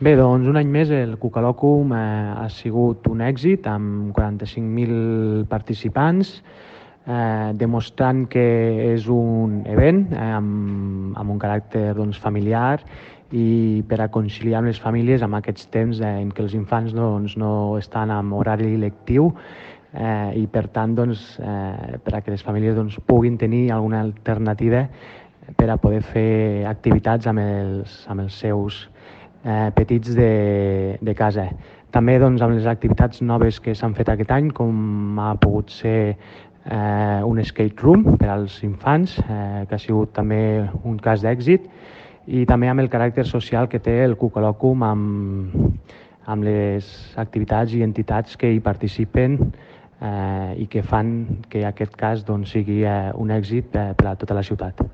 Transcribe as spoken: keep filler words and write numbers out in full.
Bé, doncs un any més el Cucalòcum eh, ha sigut un èxit amb quaranta-cinc mil participants, eh, demostrant que és un event eh, amb, amb un caràcter doncs, familiar i per a conciliar amb les famílies amb aquests temps eh, en què els infants doncs, no estan en horari lectiu eh, i per tant doncs, eh, per a que les famílies doncs, puguin tenir alguna alternativa per a poder fer activitats amb els, amb els seus eh, petits de, de casa. També doncs, amb les activitats noves que s'han fet aquest any, com ha pogut ser eh, un skate room per als infants, eh, que ha sigut també un cas d'èxit, i també amb el caràcter social que té el Cucalòcum amb, amb les activitats i entitats que hi participen eh, i que fan que aquest cas doncs, sigui eh, un èxit eh, per a tota la ciutat.